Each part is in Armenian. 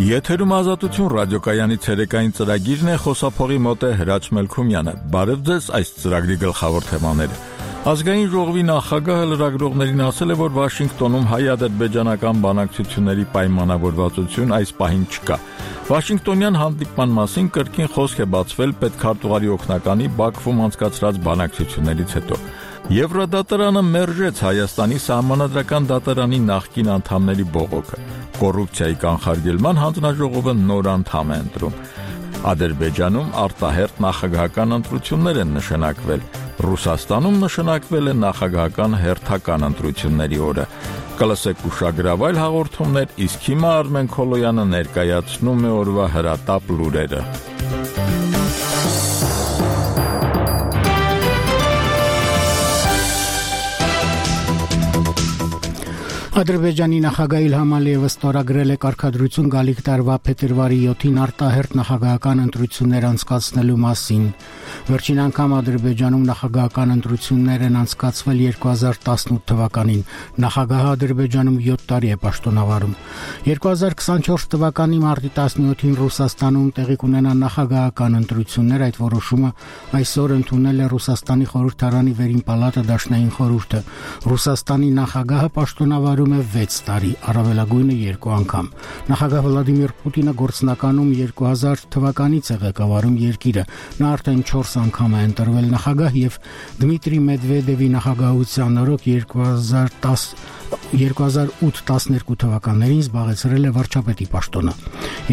Եթերում ազատություն ռադիոկայանի ցերեկային ծրագիրն է, խոսափողի մոտ է Հրաչ Մելքումյանը։ Բարև ձեզ, այս ծրագրի գլխավոր թեմաները։ Ազգային ժողովի նախագահը լրագրողներին ասել է, որ Վաշինգտոնում հայ-ադրբեջանական բանակցությունների պայմանավորվածություն այս պահին չկա։ Վաշինգտոնյան հանդիպման մասին կրկին խոսք է բացվել պետքարտուղարի օգնականի Բաքվում անցկացրած բանակցություններից հետո։ Եվրոդատարանը մերժեց Հայաստանի սահմանադրական դատարանի նախկին անդամների բողոքը։ Կոռուպցիայի կանխարգելման հանձնաժողովը նոր անդամ է ընտրում։ Ադրբեջանում արտահերթ նախագահական ընտրություններ են նշանակվել։ Ռուսաստանում նշանակվել է նախագահական հերթական ընտրությունների օրը։ Կլսեք ուշագրավայր հաղորդումներ, իսկ հիմա Արմեն Քոլոյանը ներկայացնում է օրվա հրատապ լուրերը։ Ադրբեջանի նախագահ Իլհամ Ալիևը ստորագրել է կարգադրություն գալիք տարվա փետրվարի 7-ին արտահերթ նախագահական ընտրություններ անցկացնելու մասին։ Վերջին անգամ Ադրբեջանում նախագահական ընտրություններ են անցկացվել 2018 թվականին։ Նախագահը Ադրբեջանում 7 տարի է պաշտոնավարում։ 2024 թվականի մարտի 17-ին Ռուսաստանում տեղի կունենա նախագահական ընտրություններ, այդ որոշումը այսօր ընդունել է Ռուսաստանի խորհրդարանի վերին պալատը դաշնային խորհուրդը։ Ռուսաստանի նախագահը պաշտոնավարում 6 տարի, առավելագույնը 2 անգամ։ Նախագահ Վլադիմիր Պուտինը գործնականում 2000 թվականից է ղեկավարում երկիրը։ Նա արդեն 4 անգամ է ընտրվել նախագահ եւ Դմիտրի Մեդվեդևի նախագահության օրոք 2008-12 թվականներին զբաղեցրել է վարչապետի պաշտոնը։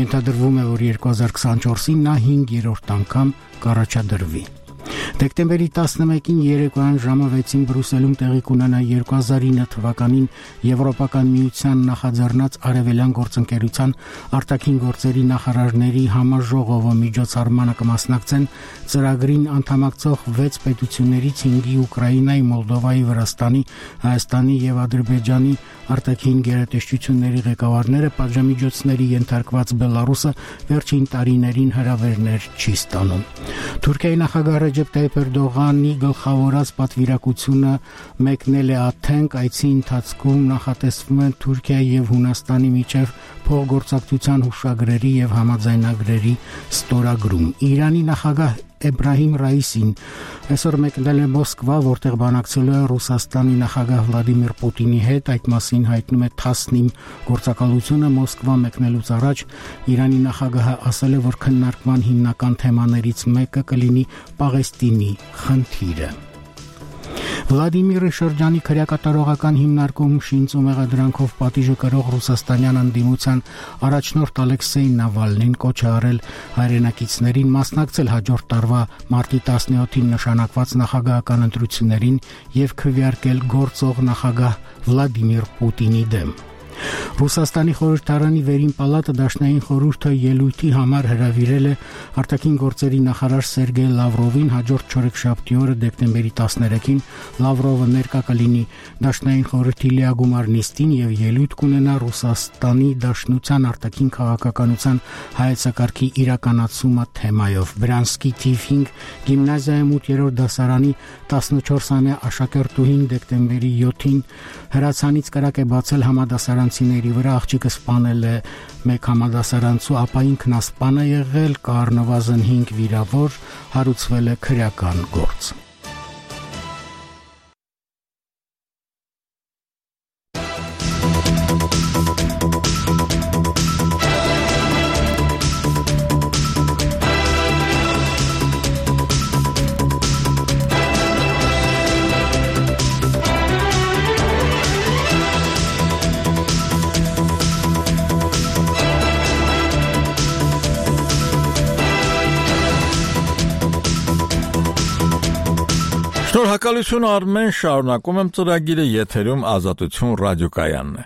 Ենթադրվում է, որ 2024-ին նա 5-րդ անգամ կառաջադրվի։ Դեկտեմբերի 11-ին երեկոյան ժամը 6-ին Բրյուսելում տեղի կունենա 2009 թվականին Եվրոպական միության նախաձեռնած Արևելյան գործընկերության արտաքին գործերի նախարարների համաժողովը միջոցառմանը կմասնակցեն ծրագրին անդամակցող 6 պետություններից 5-ի Ուկրաինայի, Մոլդովայի, Վրաստանի, Հայաստանի եւ Ադրբեջանի արտաքին գերատեսչությունների ղեկավարները, պատժամիջոցների ենթարկված Բելարուսը վերջին տարիներին հրավերներ չի ստանում։ Թուրքիայի նախագահ Ռեջեփ Տայիփ Էրդողանի գլխավորած պատվիրակությունը մեկնել է Աթենք, այցի ընթացքում նախատեսվում է Թուրքիայի եւ Հունաստանի միջև փոխգործակցության հուշագրերի եւ համաձայնագրերի ստորագրում։ Իրանի նախագահ Էբրահիմ Ռայիսին այսօր մեկնել է Մոսկվա, որտեղ բանակցելու է Ռուսաստանի նախագահ Վլադիմիր Պուտինի հետ։ Այդ մասին հայտնում է Թասնիմ գործակալությունը։ Մոսկվա մեկնելուց առաջ Իրանի նախագահը ասել է, որ քննարկման հիմնական թեմաներից մեկը կլինի Պաղեստինի խնդիրը։ Վլադիմիրի շրջանի քրեակատարողական հիմնարկում շինծ ու մեղադրանքով պատիժը կրող ռուսաստանյան ընդդիմության առաջնորդ Ալեքսեյ Նավալնին կոչ է արել հայրենակիցներին մասնակցել հաջորդ տարվա մարտի 17-ին նշանակված նախագահական ընտրություններին եւ քվեարկել գործող նախագահ Վլադիմիր Պուտինի դեմ։ Ռուսաստանի խորհրդարանի վերին պալատը դաշնային խորհուրդը ելույթի համար հրավիրել է արտաքին գործերի նախարար Սերգեյ Լավրովին հաջորդ չորեքշաբթի օրը դեկտեմբերի 13-ին Լավրովը ներկա կլինի դաշնային խորհրդի լիագումար նիստին եւ ելույթ կունենա Ռուսաստանի Դաշնության արտաքին քաղաքականության հայեցակարգի իրականացումը թեմայով։ Բրանսկի թիվ 5 գիմնազիայում 8-րդ դասարանի 14-ամյա աշակերտուհին դեկտեմբերի 7-ին հրացանից կրակ է բացել համադասարանցիների վրա, աղջիկը սպանել է մեկ համադասարանցու, ապա ինքն ասպան է եղել, կա առնվազն 5 վիրավոր, հարուցվել է քրեական գործ։ Շնորհակալություն Արմեն, շարունակում եմ ծրագիրը, եթերում ազատություն ռադիոկայանն է։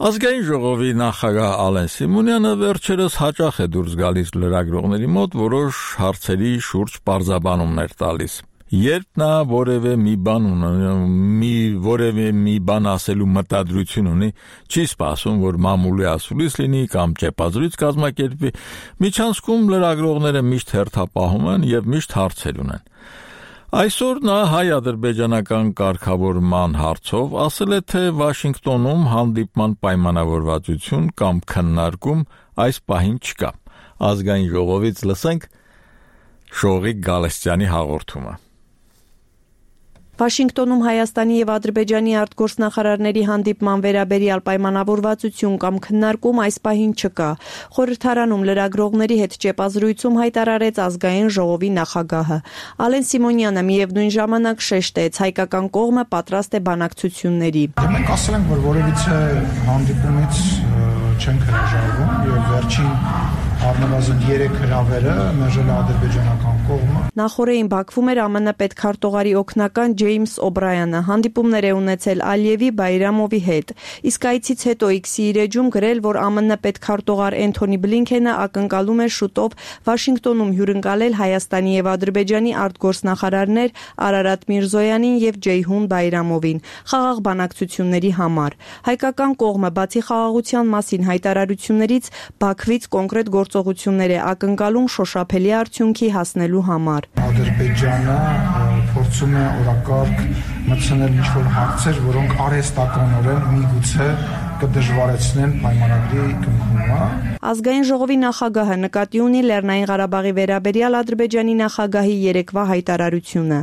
Ազգային ժողովի նախագահ Ալեն Սիմոնյանը վերջերս հաճախ է դուրս գալիս լրագրողների մոտ որոշ հարցերի շուրջ պարզաբանումներ տալիս։ Երբ նա որևէ մի բան ասելու մտադրություն ունի, չի սպասում, որ մամուլի ասուլիս լինի կամ ճեպազրույց կազմակերպվի, միջանցքում լրագրողները միշտ հերթապահում են եւ միշտ հարցեր ունեն։ Այսօր նա հայ-ադրբեջանական կարգավորման հարցով ասել է, թե Վաշինգտոնում հանդիպման պայմանավորվածություն կամ քննարկում այս պահին չկա։ Ազգային ժողովից լսենք Շողիկ Գալստյանի հաղորդումը։ Վաշինգտոնում Հայաստանի եւ Ադրբեջանի արտգործնախարարների հանդիպման վերաբերյալ պայմանավորվածություն կամ քննարկում այս պահին չկա։ Խորհրդարանում լրագրողների հետ ճեպազրույցում հայտարարեց ազգային ժողովի նախագահը։ Ալեն Սիմոնյանը միևնույն ժամանակ շեշտեց, հայկական կողմը պատրաստ է բանակցությունների։ Մենք ասել ենք, որ որևիցե հանդիպումից չենք հրաժարվում եւ վերջին առնվազն 3 հրավերը մերժել է ադրբեջանական կողմը։ Նախորդին Բաքվում էր ԱՄՆ պետքարտուղարի օգնական Ջեյմս Օբրայանը, հանդիպումներ է ունեցել Ալիևի, Բայրամովի հետ։ Իսկ այցից հետո X-ի իր էջում գրել, որ ԱՄՆ պետքարտուղար Էնթոնի Բլինքենը ակնկալում է շուտով Վաշինգտոնում հյուրընկալել Հայաստանի եւ Ադրբեջանի արտգործնախարարներ Արարատ Միրզոյանին եւ Ջեյհուն Բայրամովին խաղաղ բանակցությունների համար։ Հայկական կողմը բացի խաղաղության մասին հայտարարություններից Բաքվից կոնկրետ գործողություններ է ակնկալում շոշափելի արդյունքի հասնելու համար։ Ադրբեջանը փորձում է օրակարգ մտցնել ինչ-որ հարցեր, որոնք արհեստականորեն միգուցե կդժվարեցնեն պայմանագրի կնքումը։ Ազգային ժողովի նախագահը նկատի ունի Լեռնային Ղարաբաղի վերաբերյալ Ադրբեջանի նախագահի երեկվա հայտարարությունը։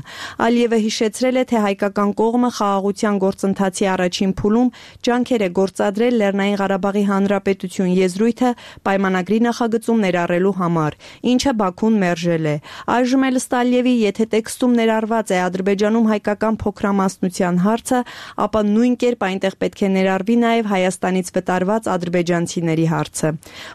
Ալիևը հիշեցրել է, թե հայկական կողմը խաղաղության գործընթացի առաջին փուլում ջանքեր է գործադրել Լեռնային Ղարաբաղի Հանրապետություն եզրույթը պայմանագրի նախագծում ներառելու համար, ինչը Բաքուն մերժել է։ Այժմ էլ ըստ Ալիևի, եթե տեքստում ներառված է Ադրբեջանում հայկական փոքրամասնության հարցը, ապա նույն կերպ այնտեղ պետք է ներառվի նաև Հայաստանից վտարված ադրբեջանցիների հարցը։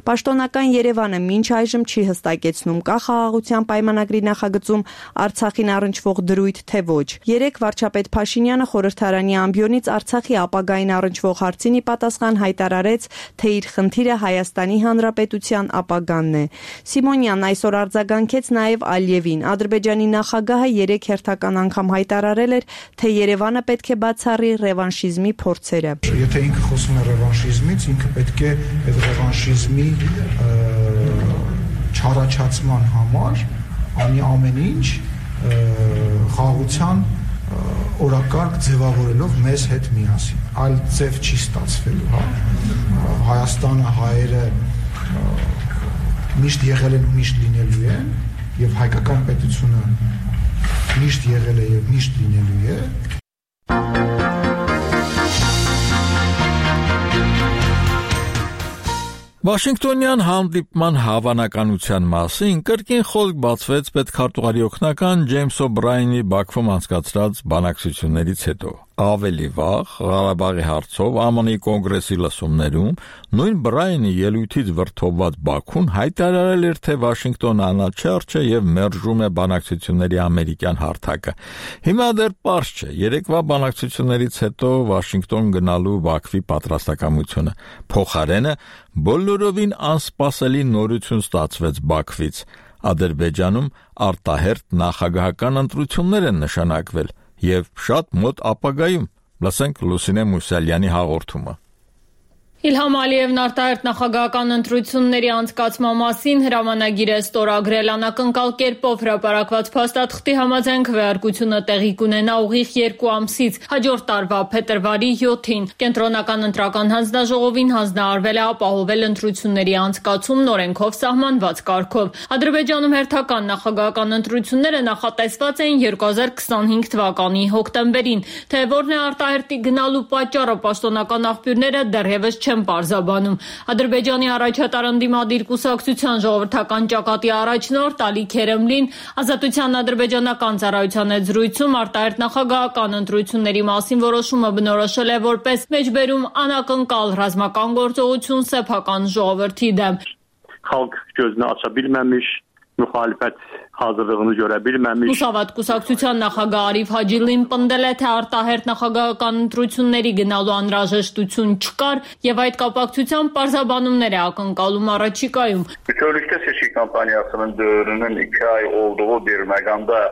Պաշտոնական Երևանը մինչ այժմ չի հստակեցնում կա խաղաղության պայմանագրի նախագծում Արցախին առնչվող դրույթ, թե ոչ։ Երեկ վարչապետ Փաշինյանը խորհրդարանի ամբիոնից Արցախի ապագային առնչվող հարցին ի պատասխան հայտարարեց, թե իր խնդիրը Հայաստանի Հանրապետության ապագանն է։ Սիմոնյանն այսօր արձագանքեց նաև Ալիևին։ Ադրբեջանի նախագահը երեկ հերթական անգամ հայտարարել էր, թե Երևանը պետք է բացառի ռևանշիզմի փորձերը։ Եթե ինքը խոսում է ռևանշիզմից, ինքը պետք է այդ ռևանշիզմի չառաջացման համար անի ամեն ինչ խաղաղության օրակարգ ձևավորելով մեզ հետ միասին։ Այլ ձև չի ստացվելու, հա։ Հայաստանը, հայերը միշտ եղել են ու միշտ լինելու են, եւ հայկական պետությունը միշտ եղել է եւ միշտ լինելու է։ Վաշինգտոնյան հանդիպման հավանականության մասին կրկին խոսք բացվեց պետքարտուղարի օգնական Ջեյմս Օբրայանի Բաքվում անցկացրած բանակցություններից հետո։ Ավելի վաղ Ղարաբաղի հարցով ԱՄՆ-ի կոնգրեսի լսումներում նույն Բրայանի ելույթից վրդովված Բաքուն հայտարարել էր, թե Վաշինգտոնը անաչառ չէ եւ մերժում է բանակցությունների ամերիկյան հարթակը։ Հիմա դեռ պարզ չէ երեկվա բանակցություններից հետո Վաշինգտոն գնալու Բաքվի պատրաստակամությունը։ Փոխարենը բոլորովին անսպասելի նորություն ստացվեց Բաքվից։ Ադրբեջանում արտահերթ նախագահական ընտրություններ են նշանակվել եւ շատ մոտ ապագայում։ Լսենք Լուսինե Մուսալյանի հաղորդումը։ Իլհամ Ալիևն արտահերթ նախագահական ընտրությունների անցկացման մասին հրամանագիր է ստորագրել անակնկալ կերպով հրապարակված փաստաթղթի համաձայն քվեարկությունը տեղի կունենա ուղիղ 2 ամսից հաջորդ տարվա փետրվարի 7-ին։ Կենտրոնական ընտրական հանձնաժողովին հանձնարարվել է ապահովել ընտրությունների անցկացումն օրենքով սահմանված կարգով։ Ադրբեջանում հերթական նախագահական ընտրությունները նախատեսված էին 2025 թվականի հոկտեմբերին, թե որն է արտահերթի գնալու պատճառը պաշտոնական աղբյուրները դեռևս չեն պարզաբանում։ Ադրբեջանի առաջատար ընդդիմադիր կուսակցության ժողովրդական ճակատի առաջնորդ Ալի Քերեմլին Ազատության ադրբեջանական ծառայության հետ զրույցում արտահերթ նախագահական ընտրությունների մասին որոշումը բնորոշել է որպես մեջբերում անակնկալ ռազմական գործողություն սեփական ժողովրդի դեմ։ Xalq gözünü aça bilməmiş, müxalifət hazırlığını görə bilməmiş։ Մուսավատ կուսակցության նախագահ Արիֆ Հաջիլին պնդել է, թե արտահերթ նախագահական ընտրությունների գնալու անհրաժեշտություն չկար եւ այդ կապակցությամբ պարզաբանումներ է ակնկալում առաջիկայում։ Bütövlükdə seçki kampaniyasının dövrünün 2 ay olduğu bir məqamda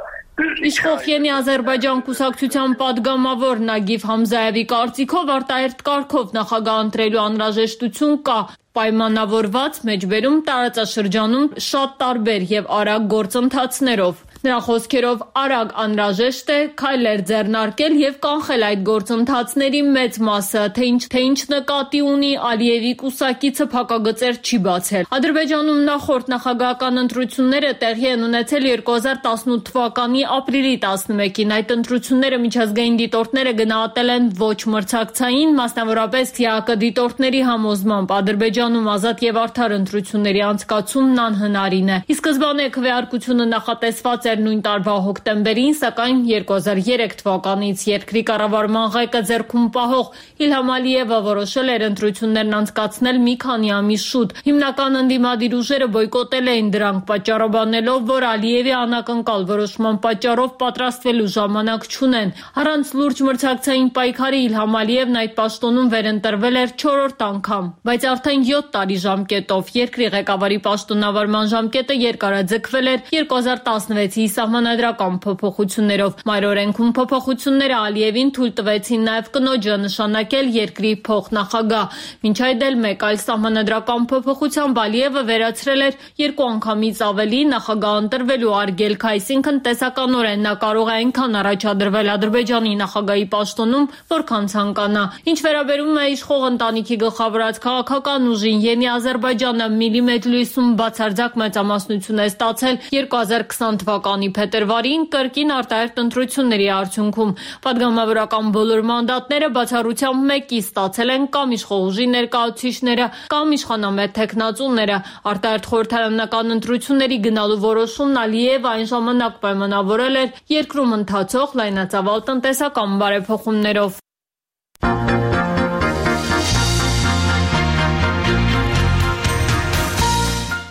Իշխող Ենի Ադրբեջան կուսակցության падգամավոր Նագիվ Համզայևի կարծիքով արտահերթ կարգով նախագահ ընտրելու անհրաժեշտություն կա, պայմանավորված մեջբերում տարածաշրջանում շատ տարբեր եւ արագ գործընթացներով։ Նրա խոսքերով արագ անհրաժեշտ է քայլեր ձեռնարկել եւ կանխել այդ գործընթացների մեծ մասը, թե ինչ նկատի ունի Ալիևի կուսակիցը փակագծեր չի բացել։ Ադրբեջանում նախորդ նախագահական ընտրությունները տեղի են ունեցել 2018 թվականի ապրիլի 11-ին։ Այդ ընտրությունները միջազգային դիտորդները գնահատել են ոչ մրցակցային, մասնավորապես ՀԱԿ դիտորդների համոզմամբ Ադրբեջանում ազատ եւ արդար ընտրությունների անցկացումն անհնարին է։ Ի սկզբանե քվեարկությունը նախատեսված էր նույն տարվա հոկտեմբերին, սակայն 2003 թվականից երկրի կառավարման ղեկը ձեռքում պահող Իլհամ Ալիևը որոշել էր ընտրություններն անցկացնել մի քանի ամիս շուտ։ Հիմնական ընդդիմադիր ուժերը բոյկոտել էին դրանք, պատճառաբանելով, որ Ալիևի անակնկալ որոշման պատճառով պատրաստվելու ժամանակ չունեն։ Առանց լուրջ մրցակցային պայքարի Իլհամ Ալիևն այդ պաշտոնում վերընտրվել էր 4-րդ անգամ, բայց արդեն 7 տարի ժամկետով։ Երկրի ղեկավարի պաշտոնավարման ժամկետը երկարաձգվել էր 2016-ի սահմանադրական փոփոխություններով։ Մայրօրենքում փոփոխությունները Ալիևին թույլ տվեցին նաև կնոջը նշանակել երկրի փոխնախագահ։ Մինչ այդ էլ մեկ այլ սահմանադրական փոփոխությամբ Ալիևը վերացրել էր 2 անգամից ավելի նախագահ ընտրվելու արգելք, այսինքն տեսականորեն նա կարող է այնքան առաջադրվել Ադրբեջանի նախագահի պաշտոնում, որքան ցանկանա։ Ինչ վերաբերում է իշխող ընտանիքի գլխավորած քաղաքական ուժին, Ենի Ադրբեջանը Միլի Մեջլիսում բացարձակ մեծամասնություն է ստացել 2020 թվականի փետրվարին կրկին արտահերթ ընտրությունների արդյունքում։ Պատգամավորական բոլոր մանդատները բացառությամբ մեկի ստացել են կամ իշխող ուժի ներկայացուցիչները, կամ իշխանամետ թեկնածուները։ Արտահերթ խորհրդարանական ընտրությունների գնալու որոշումն Ալիևը այն ժամանակ պայմանավորել էր երկրում ընթացող լայնածավալ տնտեսական բարեփոխումներով։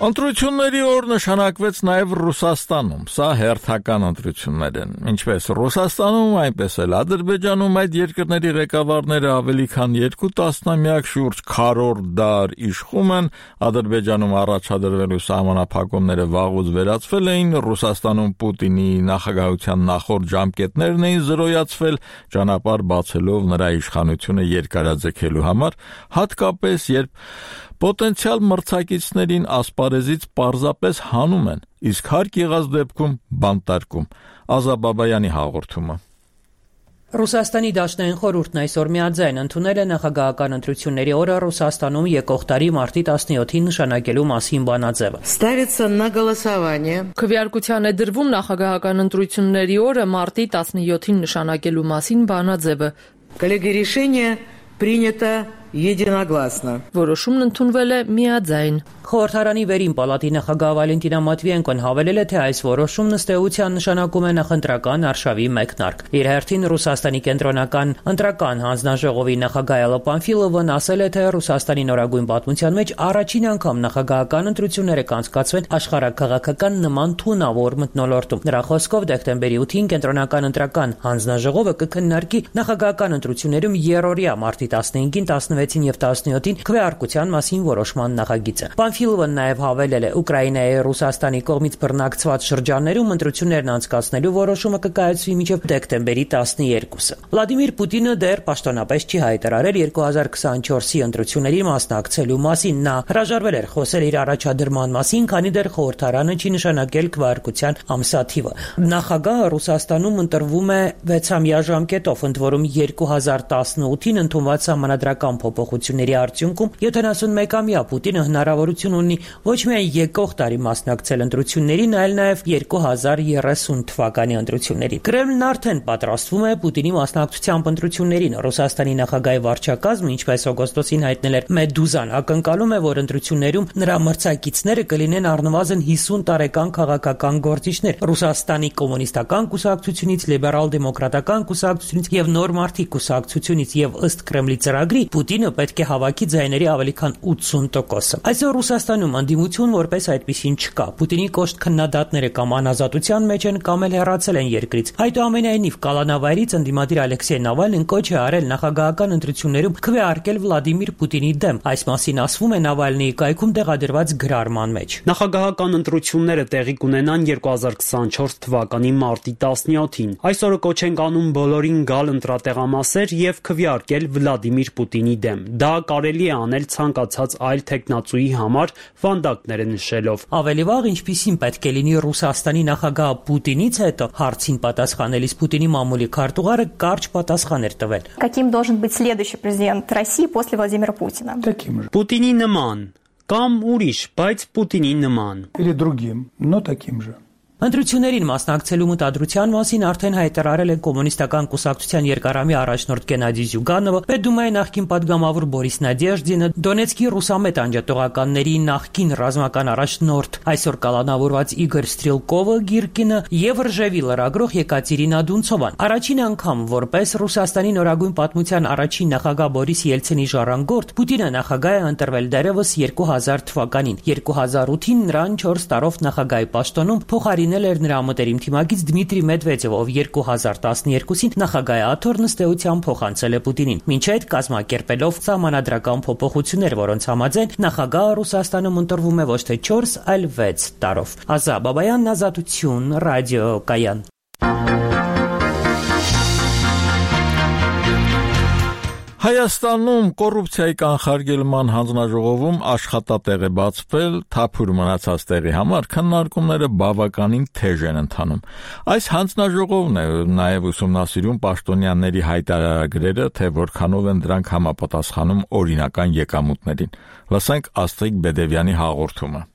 Ընտրությունների օր նշանակվեց նաև Ռուսաստանում։ Սա հերթական ընտրություններ են։ Ինչպես Ռուսաստանում, այնպես էլ Ադրբեջանում այդ երկրների ղեկավարները ավելի քան 2 տասնամյակ շուրջ քառորդ դար իշխում են։ Ադրբեջանում առաջադրվելու սահմանափակումները վաղուց վերացվել էին, Ռուսաստանում Պուտինի նախագահության նախորդ ժամկետներն էին զրոյացվել, ճանապարհ բացելով նրա իշխանությունը երկարաձգելու համար, հատկապես երբ պոտենցիալ մրցակիցներին ասպարեզից պարզապես հանում են, իսկ հարկ եղած դեպքում բանտարկում։ Ազաբաբայանի հաղորդումը։ Ռուսաստանի Դաշնային խորհուրդն այսօր միաձայն ընդունել է նախագահական ընտրությունների օրը Ռուսաստանում եկող տարի մարտի 17-ին նշանակելու մասին բանաձևը։ Ставится на голосование. Քվեարկության է դրվում նախագահական ընտրությունների օրը մարտի 17-ին նշանակելու մասին բանաձևը։ Коллеги, решение принято единогласно. Որոշումն ընդունվել է միաձայն։ Խորհրդարանի վերին պալատի նախագահ Վալենտինա Մատվիենկոն հավելել է, թե այս որոշումն ըստ էության նշանակում է նախընտրական արշավի մեկնարկ։ Իր հերթին Ռուսաստանի կենտրոնական ընտրական հանձնաժողովի նախագահ Էլլա Պանֆիլովն ասել է, թե Ռուսաստանի նորագույն պատմության մեջ առաջին անգամ նախագահական ընտրությունները կանցկացվեն աշխարհաքաղաքական նման թունավոր մթնոլորտում։ Նրա խոսքով դեկտեմբերի 8-ին կենտրոնական ընտրական հանձնաժողովը կքննարկի նախագահական ընտրություններում երրորդյա մարտի 15-ին, 16-ին եւ 17-ին քվեարկության մասին որոշման նախագիծը։ Պանֆիլովն նաև հավելել է, Ուկրաինայի Ռուսաստանի կողմից բռնակցված շրջաններում ընտրություններն անցկացնելու որոշումը կկայացվի մինչև դեկտեմբերի 12-ը։ Վլադիմիր Պուտինը դեռ պաշտոնապես չի հայտարարել 2024-ի ընտրությունների մասնակցելու մասին։ Նա հրաժարվել էր խոսել իր առաջադրման մասին, քանի դեռ խորհրդարանը չի նշանակել քվեարկության ամսաթիվը։ Նախագահը Ռուսաստանում ընտրվում է 6-ամյա ժամկետով, ընդ որում 2018-ին ընդունված սահմանադրական փոփոխությունների արդյունքում 71-ամյա Պուտինը հնարավորություն ունի ոչ միայն եկող տարի մասնակցել ընտրություններին, այլ նաև 2030 թվականի ընտրություններին։ Կրեմլն արդեն պատրաստվում է Պուտինի մասնակցությամբ ընտրություններին։ Ռուսաստանի նախագահի վարչակազմը, ինչպես օգոստոսին հայտնել էր Մեդուզան, ակնկալում է, որ ընտրություններում նրա մրցակիցները կլինեն առնվազն 50 տարեկան քաղաքական գործիչներ Ռուսաստանի կոմունիստական կուսակցությունից, լիբերալ-դեմոկրատական կուսակցությունից եւ Նոր մարդիկ կուսակցությունից, եւ ըստ Կրեմլի ծրագրի Պուտինը պետք է հավաքի ձայների ավելի քան 80%-ը։ Այսօր Ռուսաստանում անդիմություն որպես այդպիսին չկա։ Պուտինի կոշտ քննադատները կամ անազատության մեջ են, կամ էլ հեռացել են երկրից։ Այդուամենայնիվ կալանավայրից ընդդիմադիր Ալեքսեյ Նավալնին կոչ է արել նախագահական ընտրություններում քվեարկել Վլադիմիր Պուտինի դեմ։ Այս մասին ասվում է Նավալնիի կայքում տեղադրված գրառման մեջ։ Նախագահական ընտրությունները տեղի կունենան 2024 թվականի մարտի 17-ին։ Այսօրը կոչ ենք անում բոլորին գալ ընտրատեղամասեր եւ քվեարկել Վլադիմիր Պուտինի դեմ։ դեմ։ Դա կարելի է անել ցանկացած այլ թեկնածուի համար, վանդակները նշելով։ Ավելի վաղ ինչպիսին պետք է լինի Ռուսաստանի նախագահ Պուտինից հետո հարցին պատասխանելիս Պուտինի մամուլի քարտուղարը կարճ պատասխան էր տվել։ Каким должен быть следующий президент России после Владимира Путина? Таким же. Պուտինի նման կամ ուրիշ, բայց Պուտինի նման։ Или другим, но таким же. Ընտրություններին մասնակցելու մտադրության մասին արդեն հայտարարել է կոմունիստական կուսակցության երկարամյա առաջնորդ Գենադի Զյուգանովը, Պետդումայի նախկին падգամավոր Բորիս Նադեժդինը, Դոնեցկի ռուսամետ անջատողականների նախկին ռազմական առաջնորդ այսօր կալանավորված Իգոր Ստրելկովը Գիրկինը եւ Ռժևի լրագրող Եկատերինա Դունցովան։ Առաջին անգամ որպես Ռուսաստանի նորագույն պատմության առաջին նախագահ Բորիս Ելցինի ժառանգորդ Պուտինը նախագահ է ընտրվել դեռևս 2000 թվականին։ 2008-ին նրան 4 տարով նախագահի պաշտոնում փոխարինել էր նրա մտերիմ թիմակից Դմիտրի Մեդվեդևը, ով 2012-ին նախագահատոր նստեությամբ փոխանցել է Պուտինին։ Մինչ այդ կազմակերպելով սահմանադրական փոփոխություններ, որոնց համաձայն նախագահը Ռուսաստանում ընտրվում է ոչ թե 4, այլ 6 տարով։ Ազա Բաբայան, Ազատություն, ռադիո Կայան։ Հայաստանում կոռուպցիայի կանխարգելման հանձնաժողովում աշխատատեղ է բացվել, թափուր մնացած տեղի համար քննարկումները բավականին թեժ են ընթանում։ Այս հանձնաժողովն է նաև ուսումնասիրում պաշտոնյաների հայտարարագրերը, թե որքանով են դրանք համապատասխանում օրինական եկամուտներին։ Լսենք Աստղիկ Բեդևյանի հաղորդումը։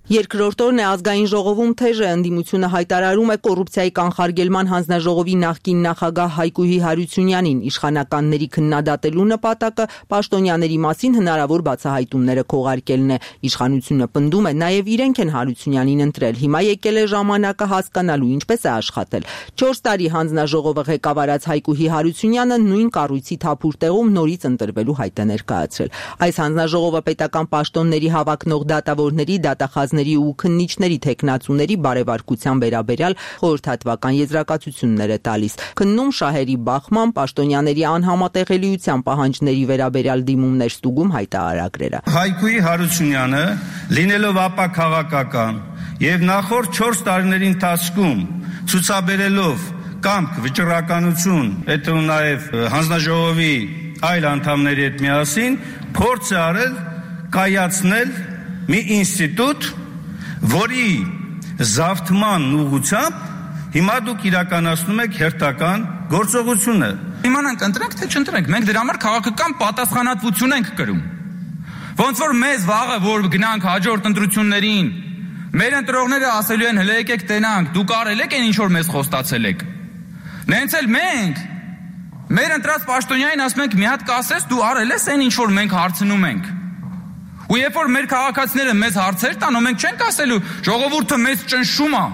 Երկրորդ օրն է ազգային ժողովում թեժ է ընդդիմությունը հայտարարում է կոռուպցիայի կանխարգելման հանձնաժողովի նախկին նախագահ Հայկուհի Հարությունյանին, իշխանականների քննադատելու նպատակը պաշտոնյաների մասին հնարավոր բացահայտումները քողարկելն է։ Իշխանությունը պնդում է նաև իրենք են Հարությունյանին ընտրել, հիմա եկել է ժամանակը հասկանալու ինչպես է աշխատել։ 4 տարի հանձնաժողովը ղեկավարած Հայկուհի Հարությունյանը նույն կառույցի թափուր տեղում նորից ընտրվելու հայտ է ներկայացրել։ Այս հանձնաժողովը պետական պաշտոնների հավակնող դատավորների, դատախազների ու քննիչների թեկնածուների բարեվարկության վերաբերյալ խորհրդատվական եզրակացություններ է տալիս։ Քննում շահերի բախման, պաշտոնյաների անհամատեղելիության պահանջների վերաբերյալ դիմումներ ստուգում հայտարարագրերը։ Հայկուհի Հարությունյանը, լինելով ապաքաղաքական եւ նախորդ 4 տարիների ընթացքում ցուցաբերելով կամք, վճռականություն, այդ ու նաեւ հանձնաժողովի այլ անդամների հետ միասին փորձ է արել կայացնել մի ինստիտուտ, որի զավթման ուղղությամբ հիմա դուք իրականացնում եք հերթական գործողությունը։ Իմանանք ընտրենք թե չընտրենք, մենք դրա համար քաղաքական պատասխանատվություն ենք կրում։ Ոնց որ մեզ վաղը որ գնանք հաջորդ ընտրություններին, մեր ընտրողները ասելու են հələ եկեք տենանք, դուք արել եք այն ինչ որ մեզ խոստացել եք։ Նենց էլ մենք մեր ընտրած պաշտոնյանին ասում ենք մի հատ կասես դու արել ես այն ինչ որ մենք հարցնում ենք։ Ու երբ որ մեր քաղաքացիները մեզ հարցեր տան, մենք չենք ասելու ժողովուրդը մեզ ճնշում է։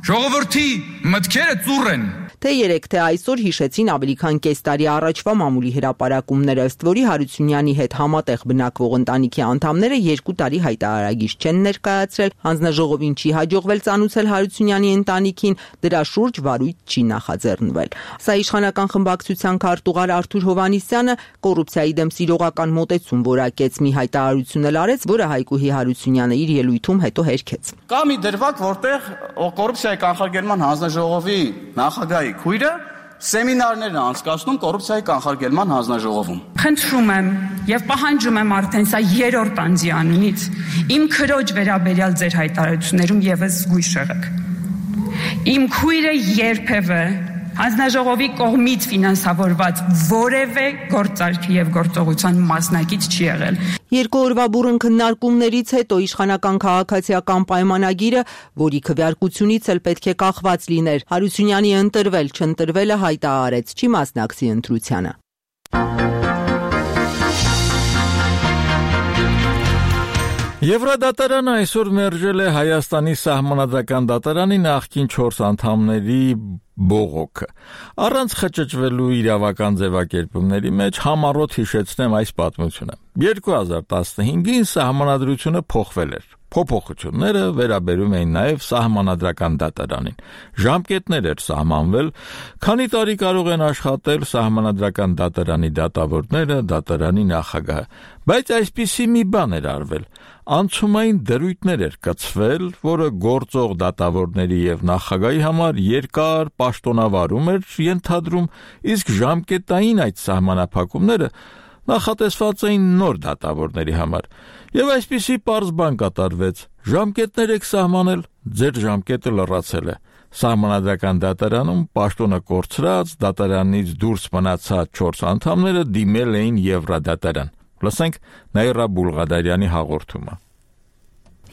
Ժողովրդի մտքերը ծուռ են։ Թե 3 թե այսօր հիշեցին ավելի քան կես տարի առաջվա մամուլի հրապարակումները, ըստ որի Հարությունյանի հետ համատեղ բնակվող ընտանիքի անդամները 2 տարի հայտարարագիծ չեն ներկայացրել, հանձնաժողովին չի հաջողվել ծանուցել Հարությունյանի ընտանիքին, դրա շուրջ վարույթ չի նախաձեռնվել։ Սա իշխանական խմբակցության քարտուղար Արթուր Հովհաննիսյանը կոռուպցիայի դեմ սիրողական մոտեցում որակեց, մի հայտարարություն էլ արեց, որը Հայկուհի Հարությունյանը իր ելույթում հետո հերքեց։ Կա մի դրվագ, որտեղ կոռուպցիայի կանխարգելման հանձնաժողովի նախագահի քույրը սեմինարներ է անցկացնում կոռուպցիայի կանխարգելման հանձնաժողովում։ Խնդրում եմ եւ պահանջում եմ արդեն սա երրորդ անձի անունից իմ քրոջ վերաբերյալ ձեր հայտարարություններում եւս զգույշ եղեք։ Իմ քույրը երբևէ հանձնաժողովի կողմից ֆինանսավորված որևէ գործարքի եւ գործողության մասնակից չի եղել։ 2 օրվա բուռն քննարկումներից հետո իշխանական քաղաքացիական պայմանագիրը, որի քվեարկությունից էլ պետք է կախված լիներ, Հարությունյանի ընտրվել չընտրվելը հայտարարեց, չի մասնակցի ընտրությանը։ Եվրադատարանը այսօր մերժել է Հայաստանի սահմանադրական դատարանի նախկին 4 անդամների բողոքը։ Առանց խճճվելու իրավական ձևակերպումների մեջ համառոտ հիշեցնեմ այս պատմությունը։ 2015-ին սահմանադրությունը փոխվել էր։ Փոփոխությունները վերաբերում էին նաև սահմանադրական դատարանին։ Ժամկետներ էր սահմանվել, քանի տարի կարող են աշխատել սահմանադրական դատարանի դատավորները, դատարանի նախագահը։ Բայց այսպիսի մի բան էր արվել։ Անցումային դրույթներ էր կցվել, որը գործող դատավորների եւ նախագահի համար երկար պաշտոնավարում էր ենթադրում, իսկ ժամկետային այդ սահմանափակումները նախատեսված էին նոր դատավորների համար։ Եվ այսպիսի պարզ բան կատարվեց. ժամկետներ եք սահմանել, ձեր ժամկետը լրացել է։ Սահմանադրական դատարանում պաշտոնը կորցրած, դատարանից դուրս մնացած 4 անդամները դիմել էին Եվրադատարան։ Լսենք Նաիրա Բուլղադարյանի հաղորդումը։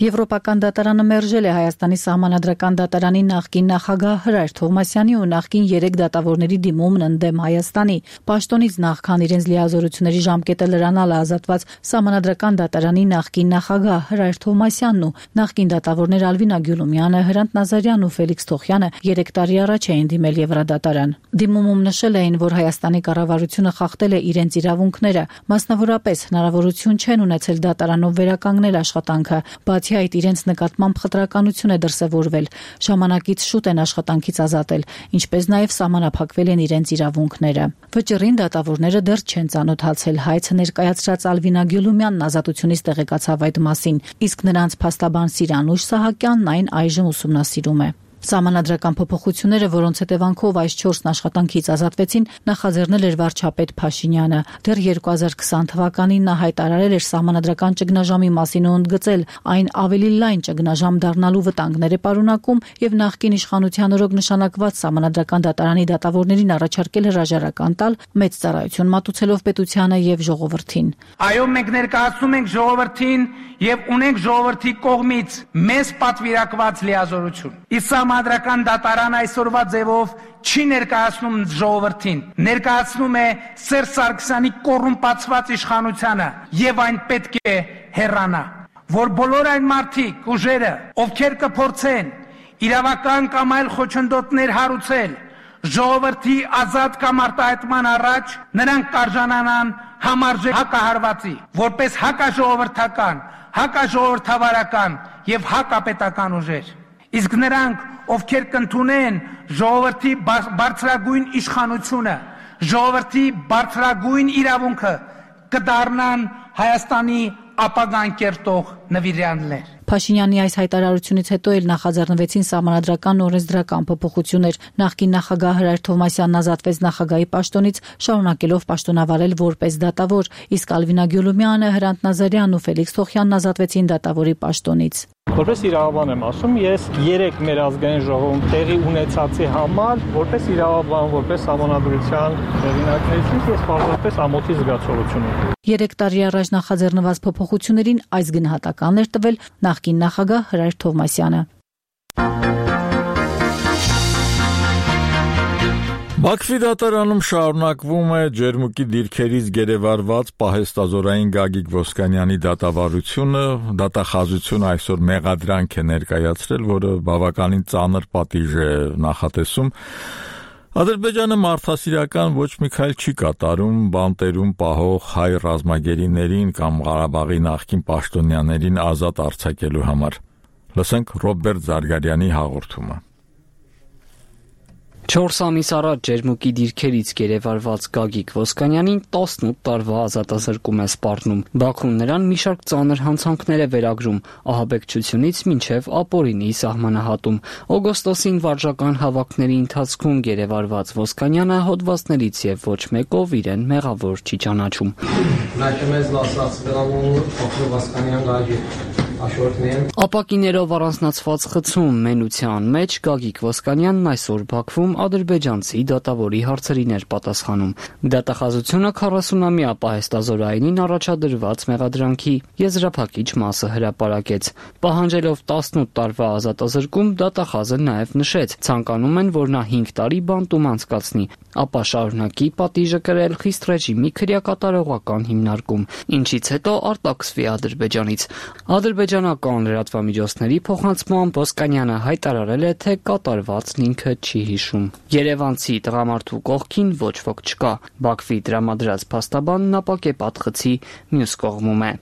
Եվրոպական դատարանը մերժել է Հայաստանի սահմանադրական դատարանի նախկին նախագահ Հրայր Թովմասյանի ու նախկին 3 դատավորների դիմումն ընդդեմ Հայաստանի։ Պաշտոնից նախքան իրենց լիազորությունների ժամկետը լրանալը ազատված սահմանադրական դատարանի նախկին նախագահ Հրայր Թովմասյանն ու նախկին դատավորներ Ալվինա Գյուլումյանը, Հրանտ Նազարյանն ու Ֆելիքս Թոխյանը 3 տարի առաջ էին դիմել Եվրադատարան։ Դիմումում նշել էին, որ Հայաստանի կառավարությունը խախտել է իրենց իրավունքները, մասնավորապես հնարավորություն չեն ունեցել դատարանով վերականգնել աշխատանքը, բացի այդ իրենց նկատմամբ խտրականություն է դրսևորվել, ժամանակից շուտ են աշխատանքից ազատել, ինչպես նաև սահմանափակվել են իրենց իրավունքները։ Վճռին դատավորները դեռ չեն ծանոթացել, հայցը ներկայացրած Ալվինա Գյուլումյանն ազատությունից տեղեկացավ այդ մասին, իսկ նրանց փաստաբան Սիրանուշ Սահակյանն այն այժմ ուսումնասիրում է։ Սահմանադրական փոփոխությունները, որոնց հետևանքով այս 4-ն աշխատանքից ազատվեցին, նախաձեռնել էր վարչապետ Փաշինյանը։ Դեռ 2020 թվականին նա հայտարարել էր սահմանադրական ճգնաժամի մասին ու ընդգծել, այն ավելի լայն ճգնաժամ դառնալու վտանգներ է պարունակում եւ նախկին իշխանության օրոք նշանակված սահմանադրական դատարանի դատավորներին առաջարկել հրաժարական տալ, մեծ ծառայություն մատուցելով պետությանը եւ ժողովրդին։ Այո, մենք ներկայացնում ենք ժողովրդին եւ ունենք ժողովրդի կողմից մեզ պատվիրակված լիազորություն։ Սահմանադրական դատարան այսօրվա ձևով չի ներկայացնում ժողովրդին, ներկայացնում է Սերժ Սարգսյանի կոռումպացված իշխանությանը եւ այն պետք է հեռանա, որ բոլոր այն մարդիկ, ուժերը, ովքեր կփորձեն իրավական կամ այլ խոչընդոտներ հարուցել ժողովրդի ազատ կամ արտահայտման առաջ, նրանք կարժանանան համարժեք հակահարվածի, որպես հակաժողովրդական, հակաժողովրդավարական եւ հակապետական ուժեր։ Իսկ նրանք, ովքեր կընդունեն ժողովրդի բարձրագույն իշխանությունը, ժողովրդի բարձրագույն իրավունքը, կդառնան Հայաստանի ապագան կերտող նվիրյալներ։ Փաշինյանի այս հայտարարությունից հետո էլ նախաձեռնվեցին սահմանադրական օրենսդրական փոփոխություններ։ Նախկին նախագահ Հրայր Թովմասյանն ազատվեց նախագահի պաշտոնից, շարունակելով պաշտոնավարել որպես դատավոր, իսկ Ալվինա Գյուլումյանը, Հրանտ Նազարյանն ու Ֆելիքս Թոխյանն ազատվեցին դատավորի պաշտոնից։ Որպես իրավաբան եմ ասում, ես 3 մեր ազգային ժողովում տեղի ունեցածի համար, որպես իրավաբան, որպես սահմանադրության հեղինակներից ես պարզապես ամոթի զգացողություն ունեմ։ 3 տարի առաջ նախաձեռնված փոփոխություններին այս գնահատականն էր տվել նախկին նախագահ Հրայր Թովմասյանը։ Բաքվի դատարանում շարունակվում է ջերմուկի դիրքերից գերեվարված պահեստազորային Գագիկ Ոսկանյանի դատավարությունը, դատախազությունը այսօր մեղադրանք է ներկայացրել, որը բավականին ծանր պատիժ է նախատեսում։ Ադրբեջանը մարդասիրական ոչ մի քայլ չի կատարում բանտերում պահող հայ ռազմագերիներին կամ Ղարաբաղի նախկին պաշտոնյաներին ազատ արձակելու համար։ Լսենք Ռոբերտ Զարգարյանի հաղորդումը։ 4 ամիս առաջ ջերմուկի դիրքերից գերեվարված Գագիկ Ոսկանյանին 18 տարվա ազատազրկում է սպառնում։ Բաքուն նրան մի շարք ծանր հանցանքներ է վերագրում, ահաբեկչությունից մինչև ապօրինի սահմանահատում։ Օգոստոսին վարժական հավաքների ընթացքում գերեվարված Ոսկանյանը հոդվածներից եւ ոչ մեկով իրեն մեղավոր չի ճանաչում։ Ապակիներով առանձնացված խցում մենության մեջ Գագիկ Ոսկանյանն այսօր Բաքվում ադրբեջանցի դատավորի հարցերին էր պատասխանում։ Դատախազությունը 40-ամյա պահեստազորայինին առաջադրված մեղադրանքի եզրափակիչ մասը հրապարակեց։ Պահանջելով 18 տարվա ազատազրկում, դատախազը նաև նշեց, ցանկանում են, որ նա 5 տարի բանտում անցկացնի, ապա շարունակի պատիժը կրել խիստ ռեժիմի քրեակատարողական հիմնարկում, ինչից հետո արտաքսվի Ադրբեջանից։ Ադրբեջանական լրատվամիջոցների փոխանցմամբ Ոսկանյանը հայտարարել է, թե կատարվածն ինքը չի հիշում։ Երևանցի տղամարդու կողքին ոչ ոք չկա։ Բաքվի տրամադրած փաստաբանն ապակեպատ խցի մյուս կողմում է։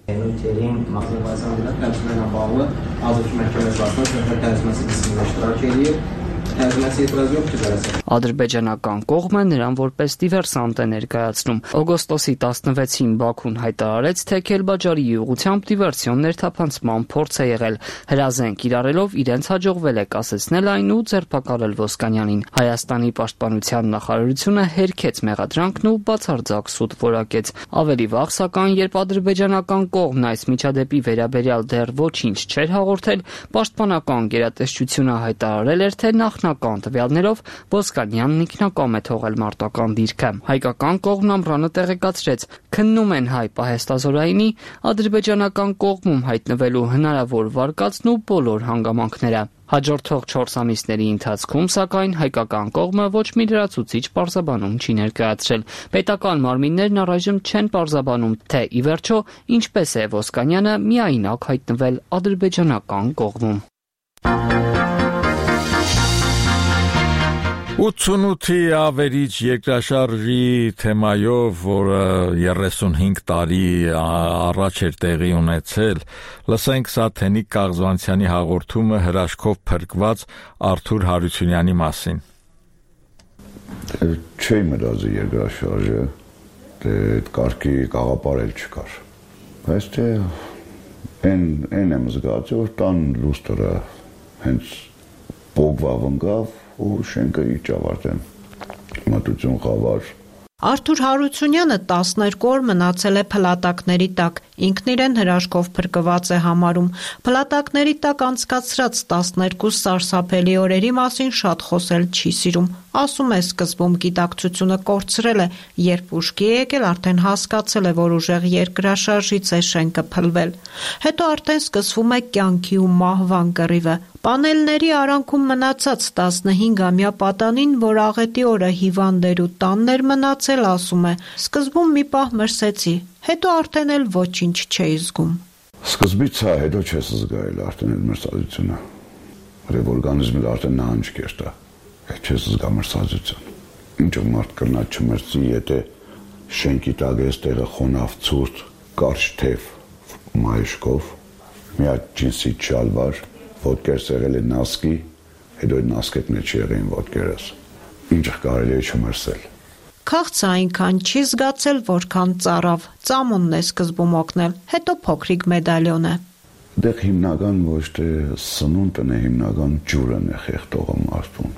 Ադրբեջանական կողմը նրան որպես դիվերսանտ է ներկայացնում։ Օգոստոսի 16-ին Բաքուն հայտարարեց, թե Քելբաջարի ուղղությամբ դիվերսիոն ներթափանցման փորձ է եղել։ Հրազեն կիրառելով իրենց հաջողվել է կասեցնել այն ու ձերբակալել Ոսկանյանին։ Հայաստանի պաշտպանության նախարարությունը հերքեց մեղադրանքն ու բացարձակ սուտ որակեց։ Ավելի վաղ, սակայն, երբ ադրբեջանական կողմն այս միջադեպի վերաբերյալ դեռ ոչինչ չէր հաղորդել, պաշտպանական գերատեսչությունը հայտարարել էր, թե նախնական տվյալներով Ոսկանյանն ինքնակամ է թողել մարտական դիրքը։ Հայկական կողմն ամռանը տեղեկացրեց, քննում են հայ պահեստազորայինի, ադրբեջանական կողմում հայտնվելու հնարավոր վարկածն ու բոլոր հանգամանքները։ Հաջորդող 4 ամիսների ընթացքում, սակայն, հայկական կողմը ոչ մի լրացուցիչ պարզաբանում չի ներկայացրել։ Պետական մարմիններն առայժմ չեն պարզաբանում, թե ի վերջո ինչպես է Ոսկանյանը միայնակ հայտնվել ադրբեջանական կողմում։ 88-ի ավերիչ երկրաշարժի թեմայով, որը 35 տարի առաջ էր տեղի ունեցել, լսենք Սաթենիկ Կաղզվանցյանի հաղորդումը հրաշքով փրկված Արթուր Հարությունյանի մասին։ Չէի մտածի երկրաշարժը, այդ կարգի կաղապարել չկար։ Բայց թե այն եմ զգացի, որ տան լուստրը հենց բոգվավ ընկավ ու շենքը իջավ արդեն մատուցուն խավար։ Արթուր Հարությունյանը 12 օր մնացել է փլատակների տակ, ինքն իրեն հրաշքով փրկված է համարում։ Փլատակների տակ անցկացրած 12 սարսափելի օրերի մասին շատ խոսել չի սիրում։ Ասում է, սկզբում գիտակցությունը կորցրել է, երբ ուշքի է եկել, արդեն հասկացել է, որ ուժեղ երկրաշարժից է շենքը փլվել։ Հետո արդեն սկսվում է կյանքի ու մահվան կռիվը։ Պանելների արանքում մնացած 15-ամյա պատանին, որ աղետի օրը հիվանդ ու տանն էր մնացել, ասում է, սկզբում մի պահ մրսեցի, հետո արդեն էլ ոչինչ չէի զգում։ Սկզբից հա, հետո չես զգայել արդեն այդ մրսածությունը։ Որև օրգանիզմը արդեն նահանջ կերտա, չես զգա մրսածություն։ Ինչ մարդ կրնա չմրսի, եթե շենքի տակ ես տեղը խոնավ ցուրտ, կարճ թև մայշկով, մի հատ ջինսի շալվար, ոտքեր սեղել է նասկի, հետո այդ նասկետ մեջ եղեին ոտքերս, ինչ կարելի է չմրսել։ Քաղցը այնքան չի զգացել, որքան ծարավ, ծամոնն է սկզբում օգնել, հետո փոքրիկ մեդալյոն է։ Դեղ հիմնական ոչ թե սնունդն է, հիմնական ջուրն է խեղդողը մարդուն։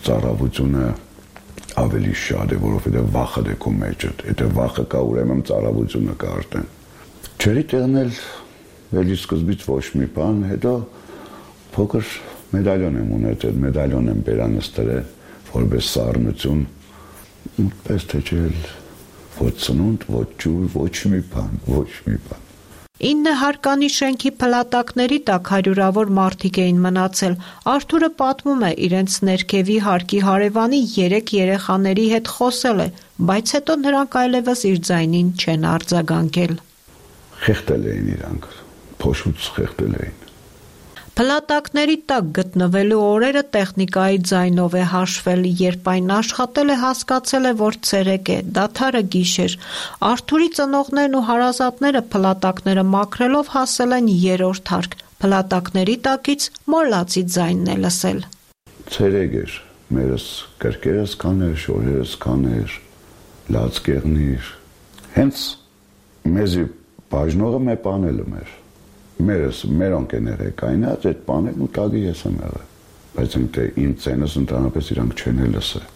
Ծարավությունը ավելի շատ է, որովհետև վախը դե քո մեջդ, եթե վախը կա, ուրեմն ծարավությունը կա արդեն։ Չերի տեղն էլ էլի սկզբից ոչ մի բան, հետո փոքր մեդալյոն եմ ունեցել, մեդալյոն եմ բերանստրել, որպես սառնություն, պես թե չէլ ոչ սնունդ, ոչ ջուր, ոչ մի բան։ 9 հարկանի շենքի փլատակների տակ հարյուրավոր մարդիկ էին մնացել։ Արթուրը պատմում է, իրենց ներքևի հարկի հարևանի 3 երեխաների հետ խոսել է, բայց հետո նրանք այլևս իր ձայնին չեն արձագանքել։ Խեղդել էին իրանք, փոշուց խեղդել էին։ Փլատակների տակ գտնվելու օրերը տեխնիկայի ձայնով է հաշվել, երբ այն աշխատել է, հասկացել է, որ ցերեկ է, դադարը գիշեր։ Արթուրի ծնողներն ու հարազատները փլատակները մաքրելով հասել են 3-րդ հարկ։ Փլատակների տակից մոռացի ձայնն է լսել։ Ցերեկ էր, մերս կրկերս կաներ, շորերս կաներ, լացկեղնիր։ Հենց մեզի բաժնողը մե պանելը մեր։ Մեր ընկերներ է կայնած, այդ պանելն ու տագի ես եմ եղել, բայց իմ ծենս ընդհանրապես իրանք չեն լսել։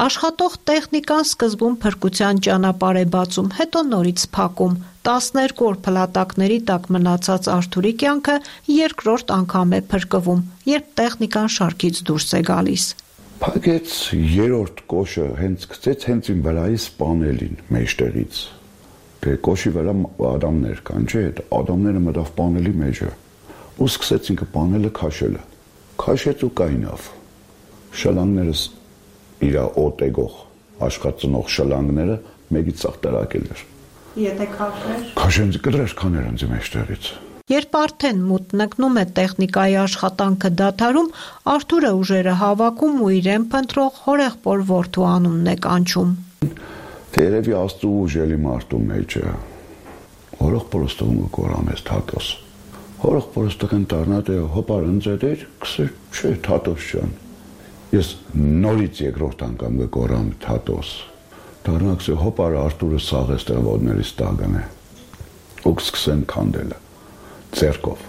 Աշխատող տեխնիկան սկզբում փրկության ճանապարհ է բացում, հետո նորից փակում։ 12 օր փլատակների տակ մնացած Արթուրի կյանքը երկրորդ անգամ է փրկվում, երբ տեխնիկան շարքից դուրս է գալիս։ Փակեց 3-րդ կոշը, հենց գցեց հենց իմ վրայից պանելին, մեջտեղից։ Կոշի վրա ադամներ կան, չէ, այդ ադամները մտավ պանելի մեջը ու սկսեց ինքը պանելը քաշելը։ Քաշեց ու կայնավ։ Շլանգներս իր օտեգող աշխատծնող շլանգները մեկից ցախ տրակել էր։ Եթե քաշեր։ Քաշենց կդրեր կաներ ինձ մեջտեղից։ Երբ արդեն մուտնակնում է տեխնիկայի աշխատանքը դադարում, Արթուրը ուժերը հավաքում ու իրեն փնտրող հորեղբոր որդու անունն է կանչում։ Երևի աստու ուժելի մարդու մեջը, հորող պրոստողում ու կորամես թատոս։ Հորող պրոստող են տարնատ է հոպար ընձետ էր, կսեր չէ թատոս չան։ Ես նորից երկրորդ անգամ գկորամ թատոս։ Դառնաքսե հոպար Արտուրը սաղ էստեղվոդներից տագն է։ Ու կսկսեն քանդելը ձեռքով։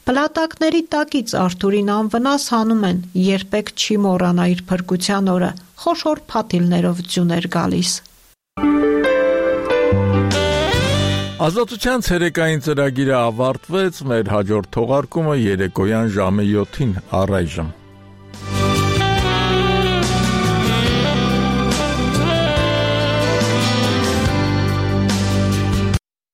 Պլատակների տակից Արթուրին անվնաս հանում են, երբեք չի մոռանա իր փրկության օրը, խոշոր փաթիլներով ձյուն էր գալիս։ Ազատության ցերեկային ծրագիրը ավարտվեց, մեր հաջորդ թողարկումը երեկոյան ժամը 7-ին առայժմ։